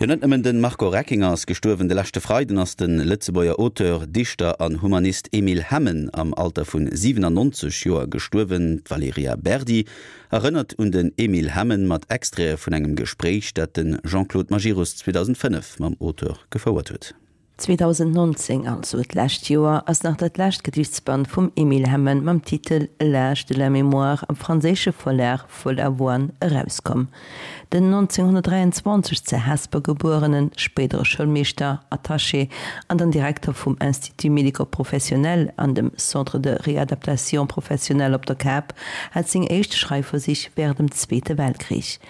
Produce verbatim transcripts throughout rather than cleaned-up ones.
Jo net nëmmen den Marco Reckinger ass gestuerwen, de leschte Freiden ass de Lëtzebuerger Auteur, Dichter an Humanist Emile Hemmen am Alter vun siwenannonzeg Joer gestuerwen. D'Valerija Berdi erënnert un den Emile Hemmen mat Extraite vun engem Gespréich, dat de Jean-Claude Majerus zweedausendfënnef mam Auteur gefouert huet. zweedausendnonzéng, also d'lescht Joer, ass nach dat lescht Gedichtsband vum Emile Hemmen mam Titel L'âge de la mémoire am franséische Verlag Follavoine erauskomm. Den nonzénghonnertdräianzwanzeg ze Hesper gebuerenen, spéidere Schoulmeeschter, Attaché an dann Direkter vum Institut médico-professionnel an dem Centre de réadaptation professionnelle op der Kap, hat seng éischt Schreifversich wärend dem Zweete Weltkrich.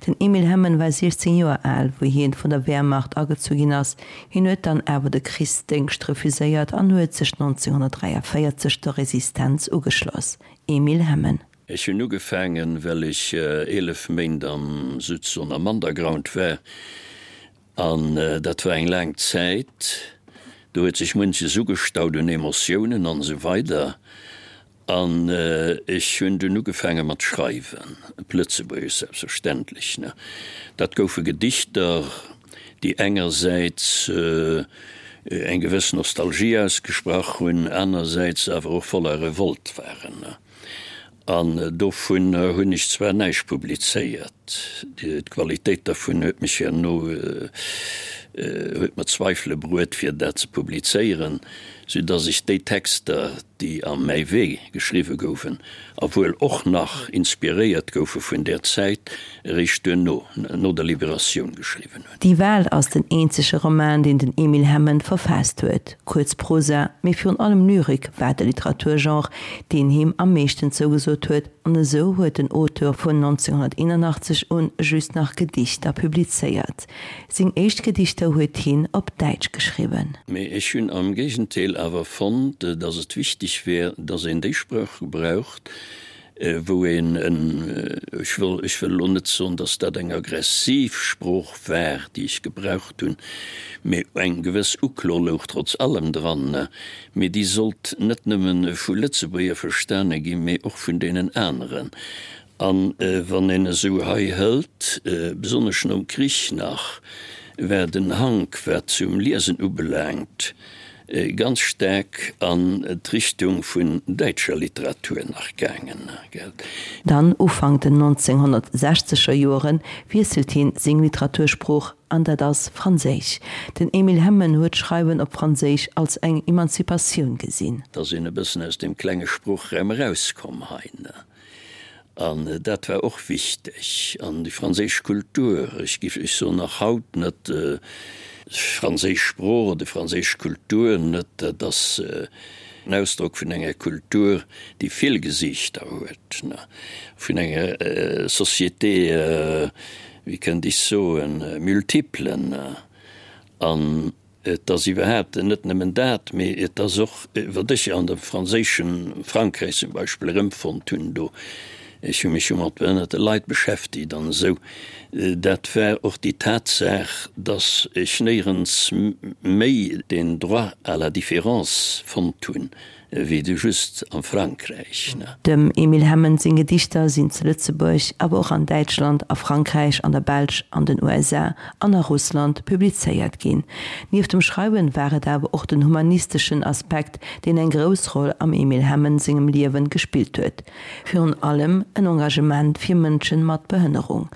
Den Emile Hemmen war siechzéng Joer al, wou hien vun der Wehrmacht agezu ginn ass. Hien huet dann awer de Krichsdéngscht refuséiert an huet sech nonzénghonnertdräiavéierzeg der Resistenz ugeschloss. Emile Hemmen. Ech hunn ugefaangen, well ech eelef Méint am souzesoen am Underground war, an dat war eng laang Zäit, do huet sech munches ugestaut un Emotiounen an esou weider. An ech hunn dunn ugefaange mat schreiwen, op Lëtzebuergesch selbstverständlech, ne. Dat goufe Gedichter, déi engersäits eng gewëss Nostalgie ausgesprach hunn, anersäits awer och voller Revolt waren, ne. An dovun hunn ech zwar näischt publizéiert, d'Qualitéit dervun huet mech herno, huet mer Zweifele bruet, fir dat ze publizéieren, soudass ech déi Texter, déi am Mäi Wee geschriwwe goufen a wuel och nach inspiréiert goufe vun där Zäit, eréischt duerno, no der Liberatioun, geschriwwen hunn. Die Wahl ass den eenzege Roman, deen den Emile Hemmen verfaasst huet. Kuerz Prosa, mee virun allem Lyrik war de Literaturgenre, deen him am meeschten zougesot huet, an esou huet den Auteur vun nonzénghonnerteenanachtzeg un just nach Gedichter publizéiert. Seng éischt Gedichter huet hien op Däitsch geschriwwen. Mee ech hunn am Géigentéel awer fonnt, dass et wichteg wär, dass een déi Sprooch gebraucht, wou een en, ech wëll, ech wëll elo net soen, dass dat eng aggressiv Sprooch war, déi ech gebraucht hunn, mee eng gewëss Uklo louch trotz allem dran, mee déi sollt net nëmme vu Lëtzebuerger verstane ginn, mee och vun deenen aneren. An wann een esou hei hëlt, besonnesch nom Krich nach, war den Hank, wat zum Liesen ubelaangt, ganz staark an d'Richtung vun däitscher Literatur nach gaangen, gell. Dann, Ufank den nonzénghonnertsechzeger Joeren, wiesselt hien seng Literatursprooch, an dat ass Franséisch. Den Emile Hemmen huet d'Schreiwen op Franséisch als eng Emanzipatioun gesinn. Da sinn e bëssen aus deem klenge Sproochraum erauskomm hei, ne. An dat war och wichteg. An déi franséisch Kultur, ech géif, ech soen nach haut net, franséisch Sprooch oder franséisch Kultur net, dat ass en Ausdrock vun enger Kultur, déi vill Gesiichter huet, vun enger Société, wéi kënnt ech soen, multiple. An Et ass iwwerhaapt net nëmmen dat, mee et ass och, wat ech an dem franséischen Frankräich zum Beispill erëmfonnt hunn do, ech hu mech jo mat behënnerte Leit beschäftigt an esou, dat war och déi Tatsaach, dass ech néierens méi den Droit à la différence fonnt hunn, wéi de just am Frankräich. Dem Emile Hemmen seng Gedichter sinn zu Lëtzebuerg, awer och an Däitschland, a Frankräich, an der Belsch, an den U S A an a Russland publizéiert ginn. Nieft dem Schreiwen war et awer och den humanisteschen Aspekt, deen eng grouss Roll am Emile Hemmen sengem Liewen gespillt huet. Virun allem en Engagement fir Mënschen mat Behënnerung.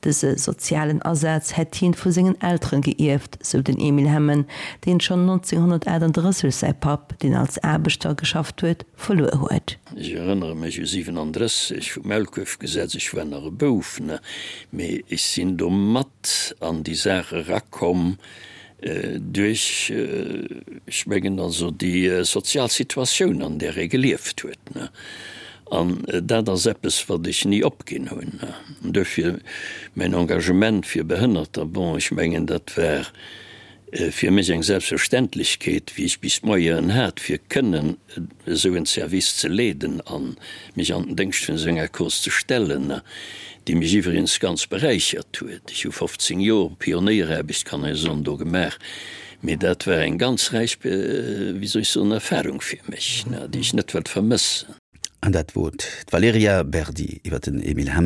Dëse sozialen Asaz hätt hien vu sengen Elteren geierft, sou den Emile Hemmen, deen schonn nonzénghonnertaachtanddrësseg säi Papp, deen als Aarbechter geschafft huet, verluer huet. Ech erënnere mech u siwenandrësseg vum Maulkuerfgesetz, ech war nach e Bouf, ne, mee ech sinn do mat an déi Saach erakomm duerch, ech mengen also déi sozial Situatioun, an där e gelieft huet, ne. An dat ass eppes, wat ech ni opginn hunn. An duerfir mäin Engagement fir Behënnerter, bon, ech mengen, dat war fir mech eng Selbstverständlechkeet, wéi ech bis d'Moyenen hat, fir kënnen esou en Service ze leeden a mech an den Déngscht vun esou enger Cause ze stellen, déi mech iwwregens ganz beräichert huet. Ech hu fofzéng Joer Pionéieraarbecht, kann ee soen, do gemaach, mee dat war eng ganz räich, wéi soll ech soen, Erfahrung fir mech, déi ech net wëllt vermëssen. An dat wor d'Valerija Berdi iwwer den Emile Hemmen.